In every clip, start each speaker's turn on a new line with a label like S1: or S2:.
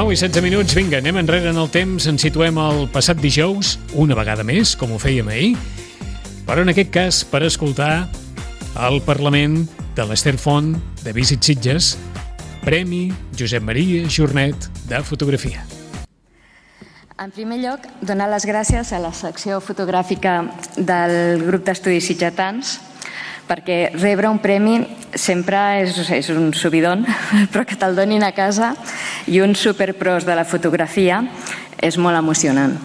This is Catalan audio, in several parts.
S1: 9:16, vinga, anem enrere en el temps, ens situem al passat dijous, una vegada més, com ho fèiem ahir, però en aquest cas per escoltar el Parlament de l'Ester Font de Visit Sitges, Premi Josep Maria Jornet de Fotografia.
S2: En primer lloc, donar les gràcies a la secció fotogràfica del grup d'estudis sitgetans, perquè rebre un premi sempre és un subidon, però que te'l donin a casa i un superpros de la fotografia és molt emocionant.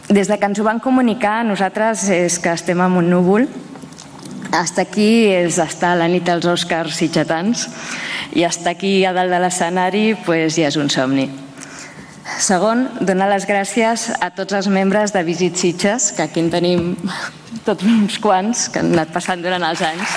S2: Des de que ens ho van comunicar, nosaltres és que estem en un núvol. Estar aquí és estar a la nit dels Oscars sitgetans i estar aquí a dalt de l'escenari ja és un somni. Segon, donar les gràcies a tots els membres de Visit Sitges, que aquí en tenim tots uns quants que han anat passant durant els anys.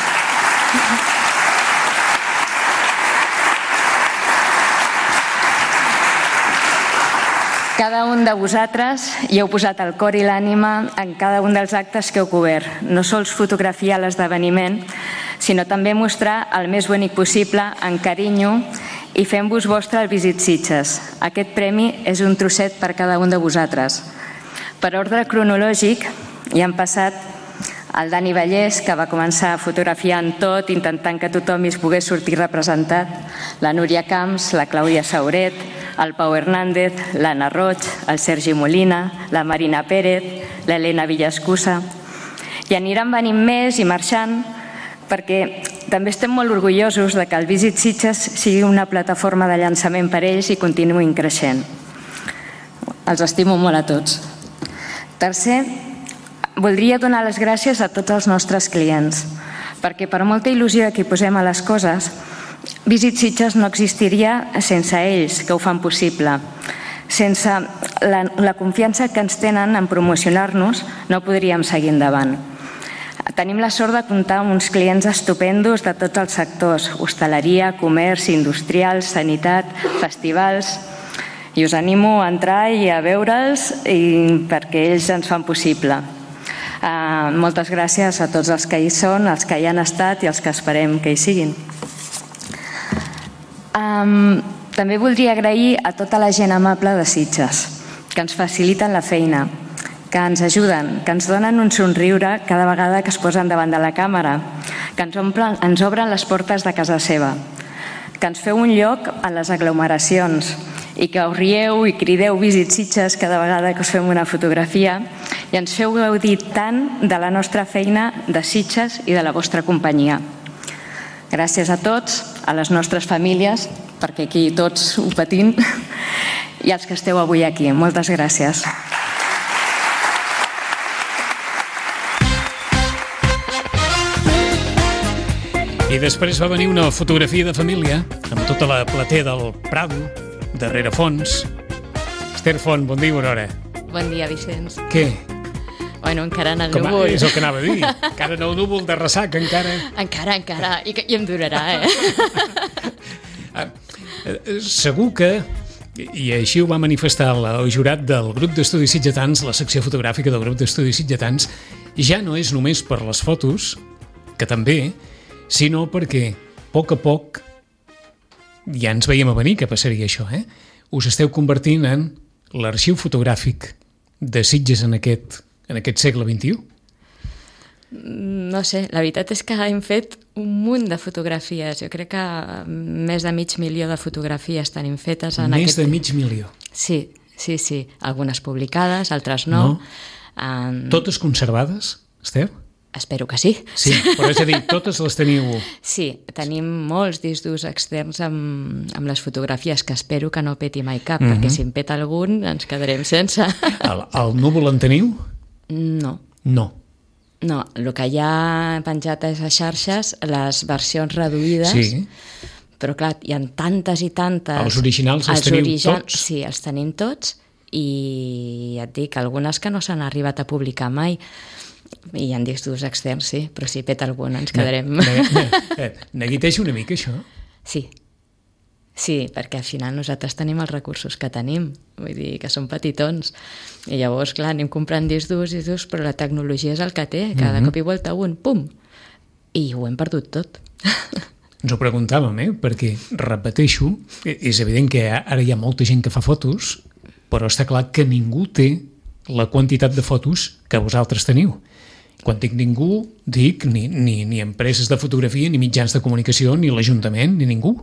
S2: Cada un de vosaltres hi heu posat el cor i l'ànima en cada un dels actes que heu cobert. No sols fotografiar l'esdeveniment, sinó també mostrar el més bonic possible, amb carinyo, i fem-vos vostre el Visit Sitges. Aquest premi és un trosset per cada un de vosaltres. Per ordre cronològic hi han passat el Dani Vallès, que va començar fotografiant tot, intentant que tothom hi pogués sortir representat, la Núria Camps, la Clàudia Sauret, el Pau Hernández, l'Anna Roig, el Sergi Molina, la Marina Pérez, l'Helena Villascusa. I aniran venint més i marxant, perquè també estem molt orgullosos de que el Visit Sitges sigui una plataforma de llançament per ells i continuïn creixent. Els estimo molt a tots. Tercer, voldria donar les gràcies a tots els nostres clients, perquè per molta il·lusió que hi posem a les coses, Visit Sitges no existiria sense ells, que ho fan possible. Sense la confiança que ens tenen en promocionar-nos, no podríem seguir endavant. Tenim la sort de comptar amb uns clients estupendos de tots els sectors: hostaleria, comerç, industrial, sanitat, festivals. I us animo a entrar i a veure'ls perquè ells ens fan possible. Moltes gràcies a tots els que hi són, els que hi han estat i els que esperem que hi siguin. També voldria agrair a tota la gent amable de Sitges, que ens faciliten la feina, que ens ajuden, que ens donen un somriure cada vegada que es posen davant de la càmera, que ens obren les portes de casa seva, que ens feu un lloc a les aglomeracions i que us rieu i crideu Visit Sitges cada vegada que us fem una fotografia i ens feu gaudir tant de la nostra feina de Sitges i de la vostra companyia. Gràcies a tots, a les nostres famílies, perquè aquí tots ho patim, i als que esteu avui aquí. Moltes gràcies.
S1: I després va venir una fotografia de família amb tota la platea del Prado, darrere fons. Ester Font, bon dia i bona hora.
S3: Bon dia, Vicenç.
S1: Què?
S3: Bueno, encara en el núvol.
S1: És el que anava a dir. Encara en el núvol de ressac, encara.
S3: Encara. I em durarà,
S1: Segur que, i així ho va manifestar el jurat del grup d'estudis sitgetans, la secció fotogràfica del grup d'estudis sitgetans, ja no és només per les fotos, que també, sinó perquè, a poc, ja ens veiem a venir que passaria això, us esteu convertint en l'arxiu fotogràfic de Sitges en aquest segle XXI.
S3: No sé, la veritat és que hem fet un munt de fotografies. Jo crec que més de 500.000 de fotografies tenim fetes.
S1: Més de 500.000?
S3: Sí. Algunes publicades, altres no.
S1: Totes conservades, Ester?
S3: Espero que sí.
S1: Sí, però és a dir, totes les teniu...
S3: Sí, tenim molts discs durs externs amb les fotografies, que espero que no peti mai cap, perquè si en peta algun ens quedarem sense.
S1: El núvol en teniu?
S3: No. No, el que hi ha penjat a les xarxes, les versions reduïdes,
S1: sí.
S3: Però clar, hi ha tantes i tantes...
S1: Els originals els teniu tots?
S3: Sí, els tenim tots, i ja et dic, algunes que no s'han arribat a publicar mai. I hi ha discs durs externs, sí, però si peta algun ens quedarem...
S1: Neguiteja una mica, això?
S3: Sí, perquè al final nosaltres tenim els recursos que tenim, vull dir que són petitons, i llavors, clar, anem comprant discs durs, però la tecnologia és el que té, cada cop i volta un, pum, i ho hem perdut tot.
S1: Ens ho preguntàvem, perquè, repeteixo, és evident que ara hi ha molta gent que fa fotos, però està clar que ningú té la quantitat de fotos que vosaltres teniu. Quan dic ningú, dic ni empreses de fotografia, ni mitjans de comunicació, ni l'Ajuntament, ni ningú.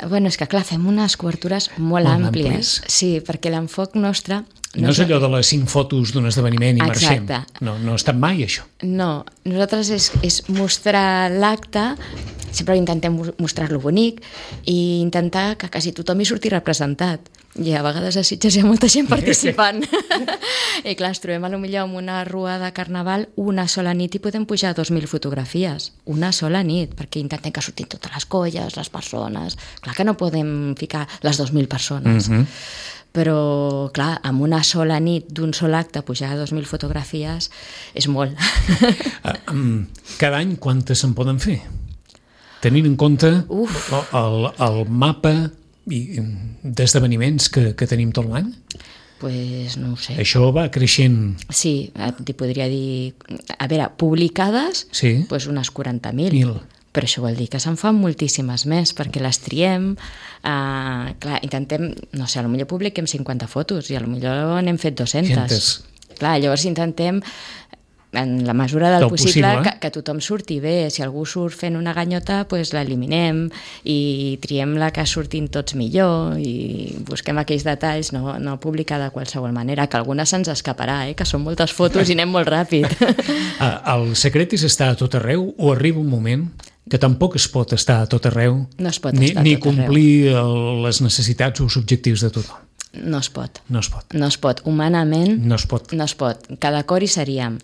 S3: Bueno, és que clar, fem unes cobertures molt àmplies. Sí, perquè l'enfoc nostre...
S1: No és allò de les 5 fotos d'un esdeveniment i marxem.
S3: Exacte.
S1: No ha estat mai, això.
S3: No, nosaltres és mostrar l'acte, sempre intentem mostrar-lo bonic i intentar que quasi tothom hi surti representat. I a vegades a Sitges hi ha molta gent participant. I clar, ens trobem potser amb una rua de carnaval una sola nit i podem pujar 2.000 fotografies. Una sola nit, perquè intentem que surtin totes les colles, les persones. Clar que no podem ficar les 2.000 persones. Però, clar, amb una sola nit d'un sol acte pujar 2.000 fotografies és molt.
S1: Cada any quantes se'n poden fer? Tenint en compte el mapa d'esdeveniments que tenim tot l'any?
S3: Pues no ho sé.
S1: Això va creixent...
S3: Sí, t'hi podria dir... A veure, publicades, pues unes 40.000. Però això vol dir que se'n fan moltíssimes més, perquè les triem, clar, intentem, no sé, potser publiquem 50 fotos i potser n'hem fet 200. Clar, llavors intentem, en la mesura del possible, que tothom surti bé. Si algú surt fent una ganyota, doncs l'eliminem i triem la que surtin tots millor i busquem aquells detalls, no publicar de qualsevol manera, que alguna se'ns escaparà, que són moltes fotos i anem molt ràpid.
S1: El secret és estar a tot arreu o arriba un moment que tampoc es pot estar a tot arreu,
S3: no es pot estar a tot arreu,
S1: ni complir les necessitats o els objectius de tothom.
S3: No es pot.
S1: No es pot.
S3: No es pot. Humanament
S1: no es pot.
S3: No es pot. Cada cor hi seríem.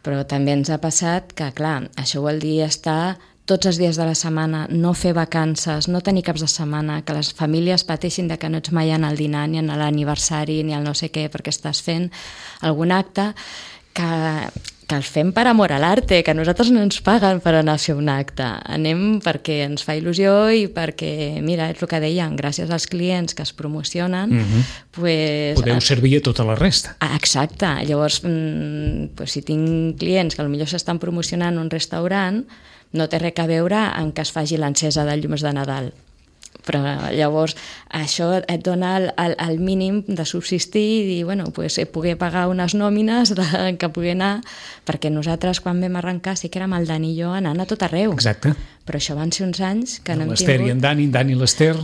S3: Però també ens ha passat que, clar, això vol dir estar tots els dies de la setmana, no fer vacances, no tenir caps de setmana, que les famílies pateixin de que no ets mai en el dinar, ni en l'aniversari, ni el no sé què, perquè estàs fent algun acte que el fem per amor a l'arte, que nosaltres no ens paguen per anar a fer un acte. Anem perquè ens fa il·lusió i perquè, mira, és el que deien, gràcies als clients que es promocionen, pues,
S1: podeu servir a tota la resta.
S3: Exacte. Llavors, pues, si tinc clients que potser s'estan promocionant un restaurant, no té res a veure en que es faci l'encesa de llums de Nadal. Però llavors això et dona el mínim de subsistir i dir, bueno, pues, poder pagar unes nòmines que pugui anar, perquè nosaltres quan vam arrencar sí que érem el Dani i jo anant a tot arreu.
S1: Exacte.
S3: Però això van ser uns anys que no hem tingut...
S1: L'Ester i en Dani i l'Ester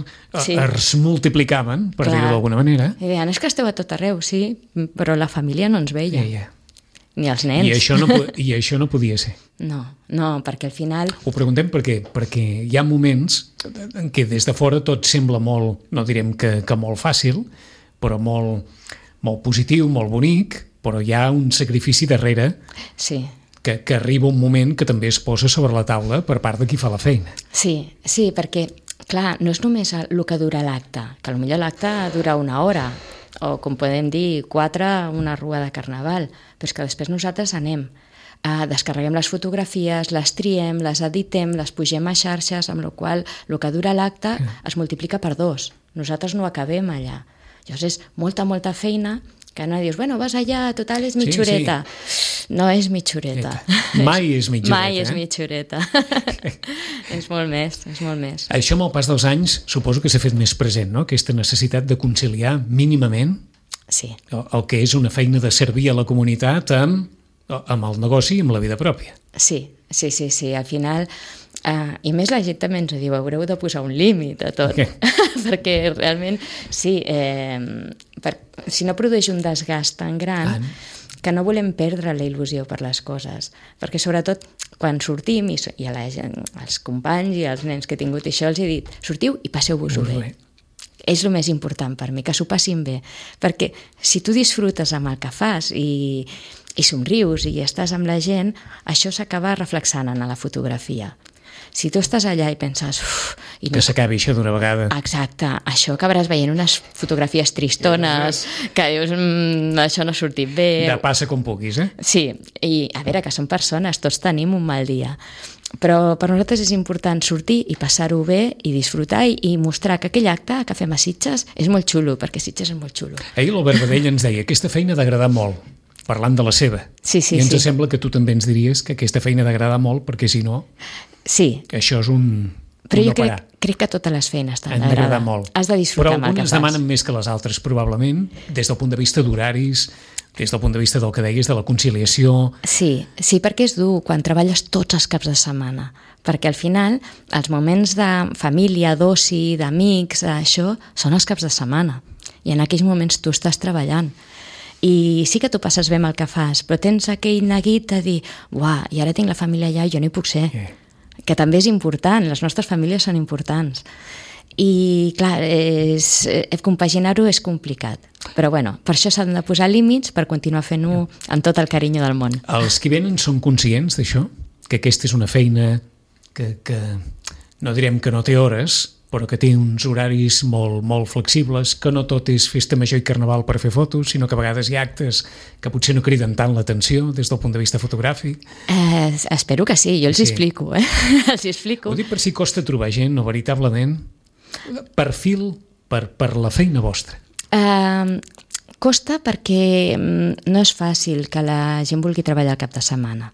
S1: es multiplicaven, per dir-ho d'alguna manera.
S3: I deien, és que esteu a tot arreu, sí, però la família no ens veia. Ni els nens.
S1: I això no podia ser.
S3: No, perquè al final...
S1: Ho preguntem perquè hi ha moments en què des de fora tot sembla molt, no direm que molt fàcil, però molt positiu, molt bonic, però hi ha un sacrifici darrere que arriba un moment que també es posa sobre la taula per part de qui fa la feina.
S3: Sí, perquè, clar, no és només el que dura l'acte, que potser l'acte dura una hora, o com podem dir, 4 una rua de carnaval, però és que després nosaltres anem, descarreguem les fotografies, les triem, les editem, les pugem a xarxes, amb la qual cosa el que dura l'acte es multiplica per 2. Nosaltres no acabem allà. Llavors és molta feina que no dius, bueno, vas allà, total, és mitjoreta. No és mitjoreta.
S1: Mai és mitjoreta.
S3: Mai és mitjoreta. És molt més.
S1: Això amb el pas dels anys suposo que s'ha fet més present, no? Aquesta necessitat de conciliar mínimament el que és una feina de servir a la comunitat amb el negoci i amb la vida pròpia.
S3: Sí. Al final, i més la gent també ens diu, haureu de posar un límit a tot. Perquè realment, sí, si no produeix un desgast tan gran que no volem perdre la il·lusió per les coses. Perquè sobretot quan sortim, i als companys i als nens que he tingut això, els he dit, sortiu i passeu-vos-ho bé. És el més important per mi, que s'ho passin bé. Perquè si tu disfrutes amb el que fas i somrius i estàs amb la gent, això s'acaba reflexant en la fotografia. Si tu estàs allà i penses...
S1: Que s'acabi això d'una vegada.
S3: Exacte, això acabaràs veient unes fotografies tristones, que dius, això no ha sortit bé...
S1: De passa com puguis,
S3: Sí, i a veure, que són persones, tots tenim un mal dia. Però per nosaltres és important sortir i passar-ho bé i disfrutar i mostrar que aquell acte que fem a Sitges és molt xulo, perquè Sitges és molt xulo.
S1: Ahir l'Albert Badell ens deia, aquesta feina ha d'agradar molt, parlant de la seva.
S3: Sí.
S1: I ens sembla que tu també ens diries que aquesta feina ha d'agradar molt, perquè si no...
S3: Sí.
S1: Això és
S3: Però
S1: no
S3: jo crec que totes les feines t'han
S1: d'agradar molt.
S3: Has de disfrutar amb el que fas.
S1: Però algunes demanen més que les altres, probablement, des del punt de vista d'horaris, des del punt de vista del que deies, de la conciliació...
S3: Sí, perquè és dur quan treballes tots els caps de setmana, perquè al final els moments de família, d'oci, d'amics, això, són els caps de setmana, i en aquells moments tu estàs treballant. I sí que tu passes bé amb el que fas, però tens aquell neguit de dir uah, i ara tinc la família allà i jo no hi puc ser. Que també és important, les nostres famílies són importants. I clar, compaginar-ho és complicat. Però bueno, per això s'han de posar límits per continuar fent-ho amb tot el carinyo del món.
S1: Els que venen són conscients d'això? Que aquesta és una feina que no direm que no té hores, però que té uns horaris molt flexibles, que no tot és festa major i carnaval per fer fotos, sinó que a vegades hi ha actes que potser no criden tant l'atenció des del punt de vista fotogràfic.
S3: Espero que sí, jo els explico. Els explico.
S1: Ho dic per si costa trobar gent, no, veritablement, perfil per la feina vostra.
S3: Costa perquè no és fàcil que la gent vulgui treballar al cap de setmana.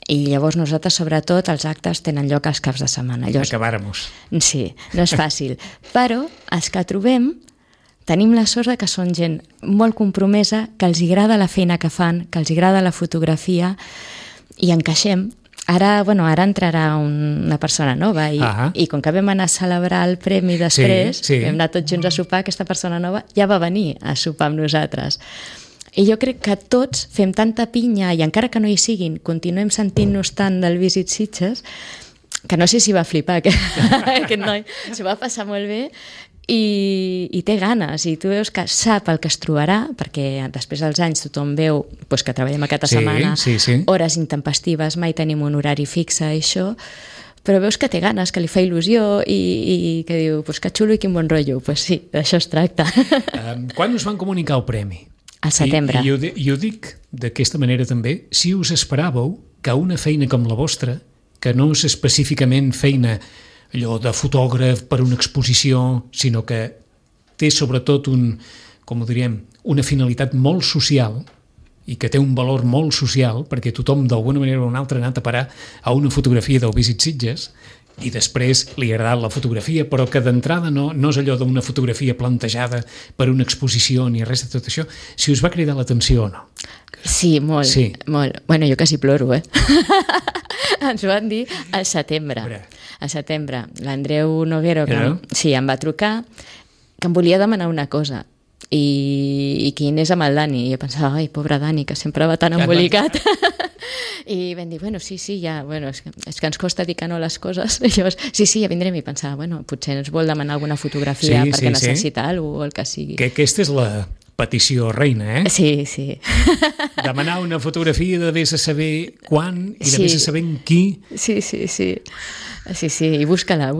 S3: I llavors nosaltres, sobretot, els actes tenen lloc als caps de setmana.
S1: Acabàrem-nos.
S3: Sí, no és fàcil. Però els que trobem tenim la sort que són gent molt compromesa, que els agrada la feina que fan, que els agrada la fotografia i encaixem. Ara entrarà una persona nova i com que vam anar a celebrar el premi després, vam anar tots junts a sopar, aquesta persona nova ja va venir a sopar amb nosaltres. I jo crec que tots fem tanta pinya i encara que no hi siguin, continuem sentint-nos tant del Visit Sitges, que no sé si va flipar aquest noi, s'ho va passar molt bé i té ganes, i tu veus que sap el que es trobarà, perquè després dels anys tothom veu que treballem aquesta setmana, hores intempestives, mai tenim un horari fixe, això, però veus que té ganes, que li fa il·lusió i que diu, que xulo i quin bon rotllo. Sí, d'això es tracta.
S1: Quan us van comunicar el premi?
S3: Al setembre.
S1: I ho dic d'aquesta manera també, si us esperàveu que una feina com la vostra, que no és específicament feina allò de fotògraf per una exposició, sinó que té sobretot una finalitat molt social i que té un valor molt social, perquè tothom d'alguna manera o una altra ha anat a parar a una fotografia del Visit Sitges i després li ha agradat la fotografia, però que d'entrada no és allò d'una fotografia plantejada per una exposició ni res de tot això, si us va cridar l'atenció o no?
S3: Sí, molt. Molt. Bueno, jo quasi ploro, Ens ho van dir al setembre. Al setembre. L'Andreu Noguero, em va trucar, que em volia demanar una cosa, i qui és amb el Dani, i jo pensava, ai, pobre Dani, que sempre va tan embolicat. I vam dir, sí, ja, és que ens costa dir que no les coses. I llavors, sí, ja vindrem, i pensava, potser ens vol demanar alguna fotografia perquè necessita alguna cosa o el que sigui.
S1: Que aquesta és la petició reina,
S3: Sí.
S1: Demanar una fotografia de vés a saber quan i de vés a saber en qui.
S3: Sí, i busca-la.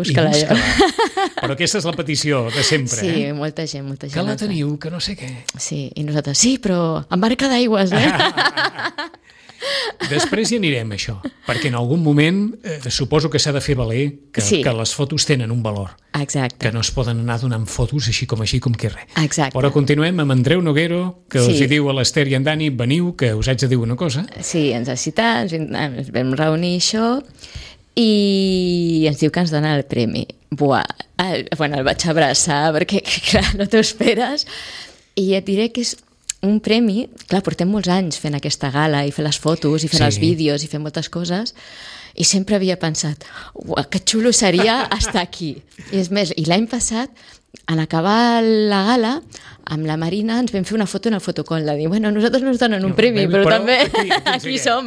S1: Però aquesta és la petició de sempre,
S3: Sí, molta gent.
S1: Que la teniu, que no sé què.
S3: Sí, i nosaltres, sí, però amb marca d'aigües,
S1: Després hi anirem, això, perquè en algun moment suposo que s'ha de fer valer que les fotos tenen un valor.
S3: Exacte.
S1: Que no es poden anar donant fotos així com que res.
S3: Exacte.
S1: Però continuem amb Andreu Noguero, que els hi diu a l'Ester i en Dani, veniu, que us haig de dir una cosa.
S3: Sí, ens ha citat, ens vam reunir això, i ens diu que ens dona el premi. El vaig abraçar, perquè, clar, no t'ho esperes, i et diré que és un premi, clar, portem molts anys fent aquesta gala i fent les fotos i fent els vídeos i fent moltes coses, i sempre havia pensat, que xulo seria estar aquí. I és més, i l'any passat, en acabar la gala, amb la Marina ens vam fer una foto en el fotocol, de dir, nosaltres no ens donen un premi, però també aquí som.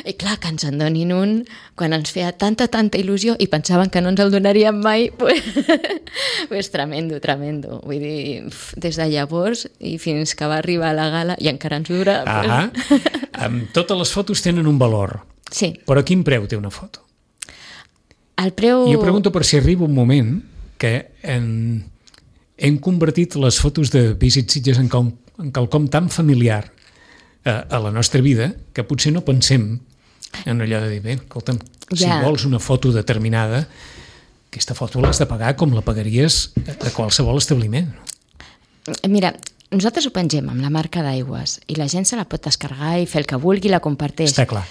S3: I clar, que ens en donin un, quan ens feia tanta il·lusió i pensaven que no ens el donarien mai, pues tremendo. Vull dir, des de llavors i fins que va arribar a la gala, i encara ens dura.
S1: Totes les fotos tenen un valor.
S3: Sí.
S1: Però quin preu té una foto?
S3: El preu...
S1: Jo pregunto per si arriba un moment que hem convertit les fotos de Visit Sitges en quelcom tan familiar a la nostra vida que potser no pensem en allò de dir, bé, escolta'm, si vols una foto determinada, aquesta foto l'has de pagar com la pagaries a qualsevol establiment.
S3: Mira, nosaltres ho pengem amb la marca d'aigües i la gent se la pot descarregar i fer el que vulgui i la comparteix.
S1: Està clar.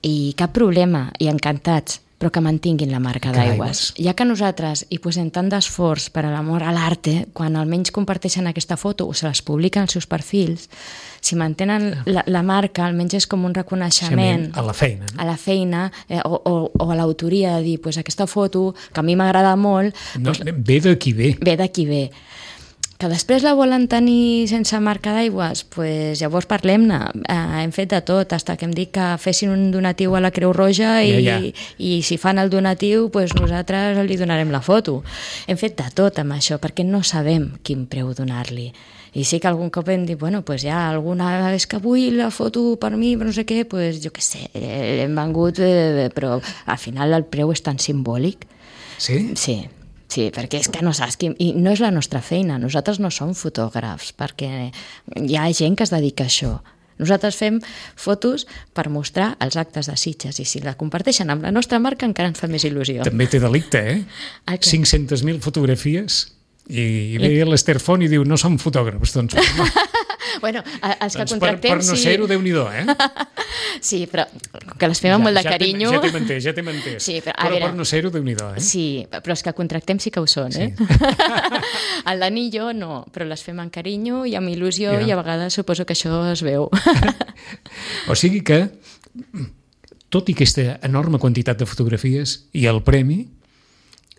S3: I cap problema, i encantats. però que mantinguin la marca d'aigües. Ja que nosaltres hi posem tant d'esforç per a l'amor a l'arte, quan almenys comparteixen aquesta foto o se les publiquen als seus perfils, si mantenen la marca, almenys és com un reconeixement
S1: a la feina, no?
S3: A la feina o a l'autoria de dir, aquesta foto, que a mi m'agrada molt...
S1: No, ve de qui ve.
S3: Ve de qui ve. Que després la volen tenir sense marca d'aigües, llavors parlem-ne. Hem fet de tot, fins que hem dit que fessin un donatiu a la Creu Roja i si fan el donatiu, nosaltres li donarem la foto. Hem fet de tot amb això, perquè no sabem quin preu donar-li. I sí que algun cop hem dit, alguna és que vull la foto per mi, però no sé què, jo què sé, hem vengut, però al final el preu és tan simbòlic.
S1: Sí?
S3: Sí, perquè és que no saps i no és la nostra feina, nosaltres no som fotògrafs, perquè hi ha gent que es dedica a això. Nosaltres fem fotos per mostrar els actes de Sitges i si la comparteixen amb la nostra marca encara ens fa més il·lusió.
S1: També té delicte, 500.000 fotografies i ve l'Ester Font i diu no som fotògrafs, doncs...
S3: Bueno, els que contractem...
S1: Per no ser-ho, Déu-n'hi-do,
S3: Sí, però que les fem amb molt de carinyo...
S1: Ja t'hem entès. Sí, però per no ser-ho, Déu-n'hi-do,
S3: Sí, però els que contractem sí que ho són, sí. El Dani i jo no, però les fem amb carinyo i amb il·lusió i a vegades suposo que això es veu.
S1: O sigui que, tot i aquesta enorme quantitat de fotografies i el premi,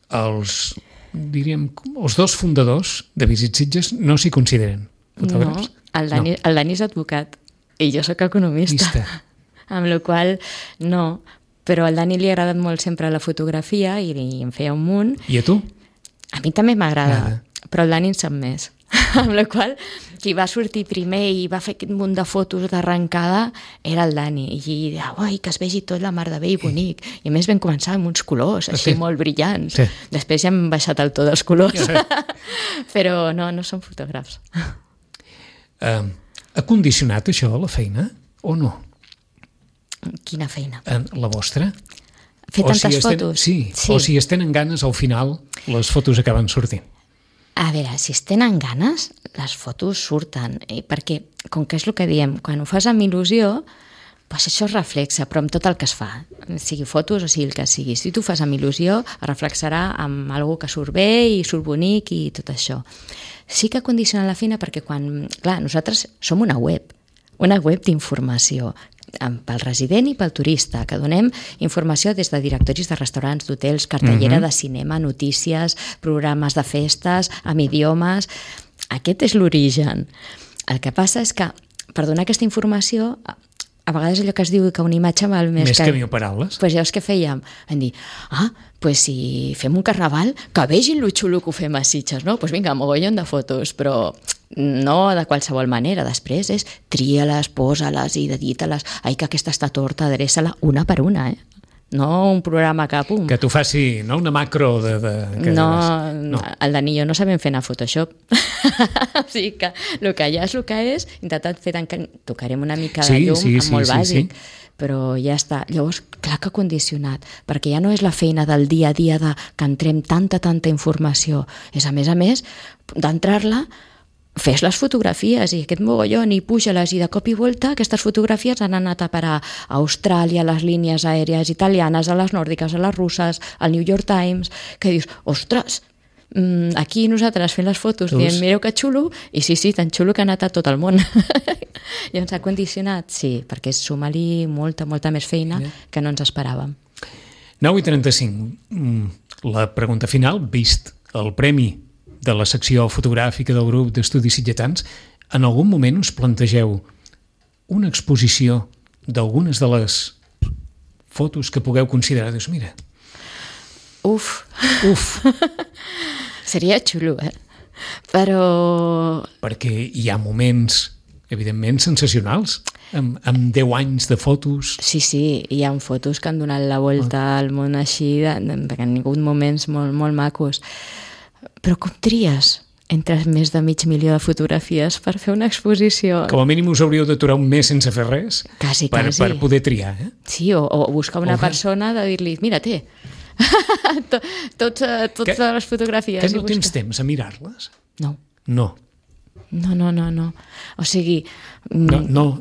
S1: els dos fundadors de Visit Sitges no s'hi consideren fotògrafs?
S3: No, el Dani és advocat i jo sóc economista. Amb la qual no, però al Dani li ha agradat molt sempre la fotografia i em feia un munt.
S1: I a tu?
S3: A mi també m'agrada, però el Dani en sap més. Amb la qual qui va sortir primer i va fer aquest munt de fotos d'arrencada era el Dani. I deia, que es vegi tot la mar de bé i bonic. I a més vam començar amb uns colors així molt brillants. Sí. Després ja hem baixat el to dels colors. Però no som fotògrafs.
S1: Ha condicionat això la feina o no?
S3: Quina feina?
S1: La vostra?
S3: Fer tantes fotos?
S1: Sí, o si es tenen ganes, al final les fotos acaben sortint.
S3: A veure, si es tenen ganes, les fotos surten, perquè, com que és el que diem, quan ho fas amb il·lusió, això es reflexa, però amb tot el que es fa, sigui fotos o sigui el que sigui. Si tu fas amb il·lusió, es reflexarà amb algú que surt bé i surt bonic i tot això. Sí que condiciona la feina perquè nosaltres som una web d'informació, pel resident i pel turista, que donem informació des de directoris de restaurants, d'hotels, cartellera de cinema, notícies, programes de festes, amb idiomes... Aquest és l'origen. El que passa és que, per donar aquesta informació, a vegades allò que es diu que una imatge val més
S1: que 1000 paraules.
S3: Doncs llavors què fèiem? Vam dir, si fem un carnaval, que vegin lo xulo que ho fem a Sitges, no? Doncs vinga, mogollon de fotos, però no de qualsevol manera. Després és tria-les, posa-les i edita-les. Que aquesta està torta, adreça-la una per una, No un programa que pum.
S1: Que tu faci una macro
S3: No, el Dani i jo no sabem fer anar Photoshop. O sigui que el que ja és el que és, intentat fer tocarem una mica de llum molt bàsic. Però ja està. Llavors, clar que ha condicionat, perquè ja no és la feina del dia a dia que entrem tanta informació. És, a més, d'entrar-la, fes les fotografies i aquest mogollon i puja-les i de cop i volta aquestes fotografies han anat a parar a Austràlia, a les línies aèries italianes, a les nòrdiques, a les russes, al New York Times, que dius, ostres, aquí nosaltres fent les fotos dient, mireu que xulo, i sí, tan xulo que ha anat a tot el món. I ens ha condicionat, sí, perquè suma-li molta més feina que no ens esperàvem.
S1: 9:35. La pregunta final, vist el premi de la secció fotogràfica del grup d'estudis sitgetans, en algun moment us plantegeu una exposició d'algunes de les fotos que pugueu considerar? Dius, mira...
S3: Uf. Seria xulo, Però...
S1: Perquè hi ha moments, evidentment, sensacionals, amb 10 anys de fotos.
S3: Sí, hi ha fotos que han donat la volta al món així, perquè han tingut moments molt macos. Però com tries entre més de 500.000 de fotografies per fer una exposició?
S1: Com a mínim us hauríeu d'aturar un mes sense fer res per poder triar.
S3: Sí, o buscar una persona de dir-li, mira, totes les fotografies.
S1: Que no tens temps a mirar-les?
S3: No.
S1: No.
S3: O sigui...
S1: No.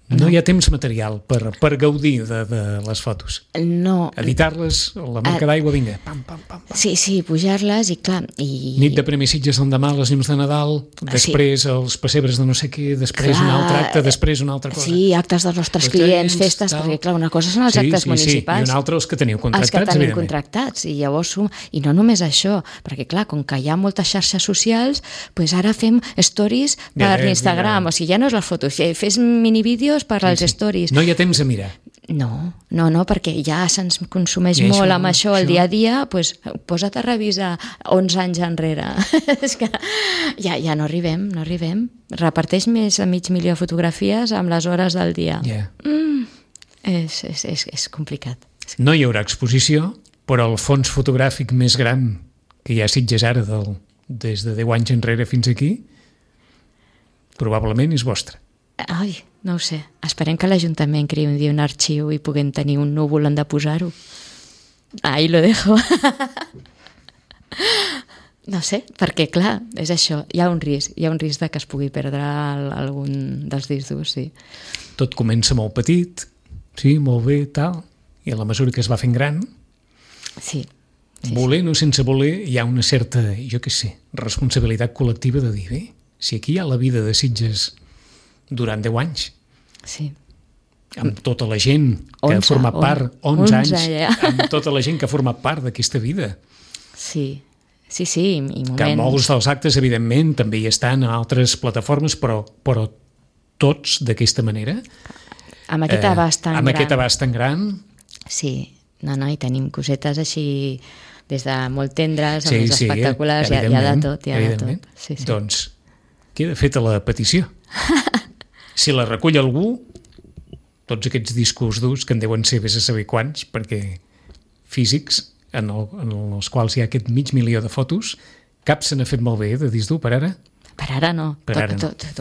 S1: No hi ha temps material per gaudir de les fotos.
S3: No.
S1: Editar-les, la marca d'aigua, vinga, pam, pam, pam.
S3: Sí, pujar-les i clar...
S1: Nit de Premi Sitges l'endemà, les llums de Nadal, després els pessebres de no sé què, després un altre acte, després una altra cosa.
S3: Sí, actes dels nostres clients, festes, perquè clar, una cosa són els actes municipals.
S1: I una altra els que teniu contractats,
S3: evidentment. Els que tenim contractats, i llavors... I no només això, perquè clar, com que hi ha moltes xarxes socials, doncs ara fem stories per l'Instagram, o sigui, ja no és les fotos, fes minivídeos per als stories.
S1: No hi ha temps a mirar.
S3: No, perquè ja se'ns consumeix molt amb això el dia a dia, doncs posa't a revisar 11 anys enrere. És que ja no arribem. Reparteix més de 500.000 fotografies amb les hores del dia. És complicat.
S1: No hi haurà exposició, però el fons fotogràfic més gran que hi ha a Sitges ara, des de 10 anys enrere fins aquí, probablement és vostre.
S3: Ai, no ho sé. Esperem que l'Ajuntament creï un dia un arxiu i puguem tenir un núvol on de posar-ho. Ahí lo dejo. No sé, perquè clar, és això, hi ha un risc de que es pugui perdre algun dels discs durs, sí.
S1: Tot comença molt petit, sí, molt bé, tal, i a la mesura que es va fent gran, volent o sense voler, hi ha una certa, jo què sé, responsabilitat col·lectiva de dir, bé, si aquí hi ha la vida de Sitges durant 10 anys.
S3: Sí.
S1: Amb tota la gent que ha format part, 11 anys, amb tota la gent que ha format part d'aquesta vida.
S3: Sí, i moments...
S1: Que molts dels actes, evidentment, també hi estan a altres plataformes, però tots d'aquesta manera.
S3: Amb aquest abast tan gran.
S1: Amb aquest abast tan gran.
S3: Sí, i tenim cosetes així des de molt tendres, amb més espectaculars, hi ha de tot, Sí.
S1: Doncs queda feta la petició. Si la recull algú, tots aquests discos durs, que en deuen ser vés a saber quants, perquè físics, en els quals hi ha aquest 500.000 de fotos, cap se n'ha fet molt bé de disc dur per ara?
S3: Per ara no.
S1: Bé,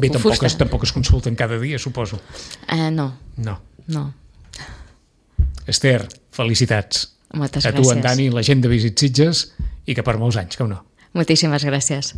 S1: tampoc es consulten cada dia, suposo.
S3: No.
S1: Esther, felicitats.
S3: Moltes
S1: gràcies. A tu, en Dani, la gent de Visit Sitges, i que per molts anys, que no.
S3: Moltíssimes gràcies.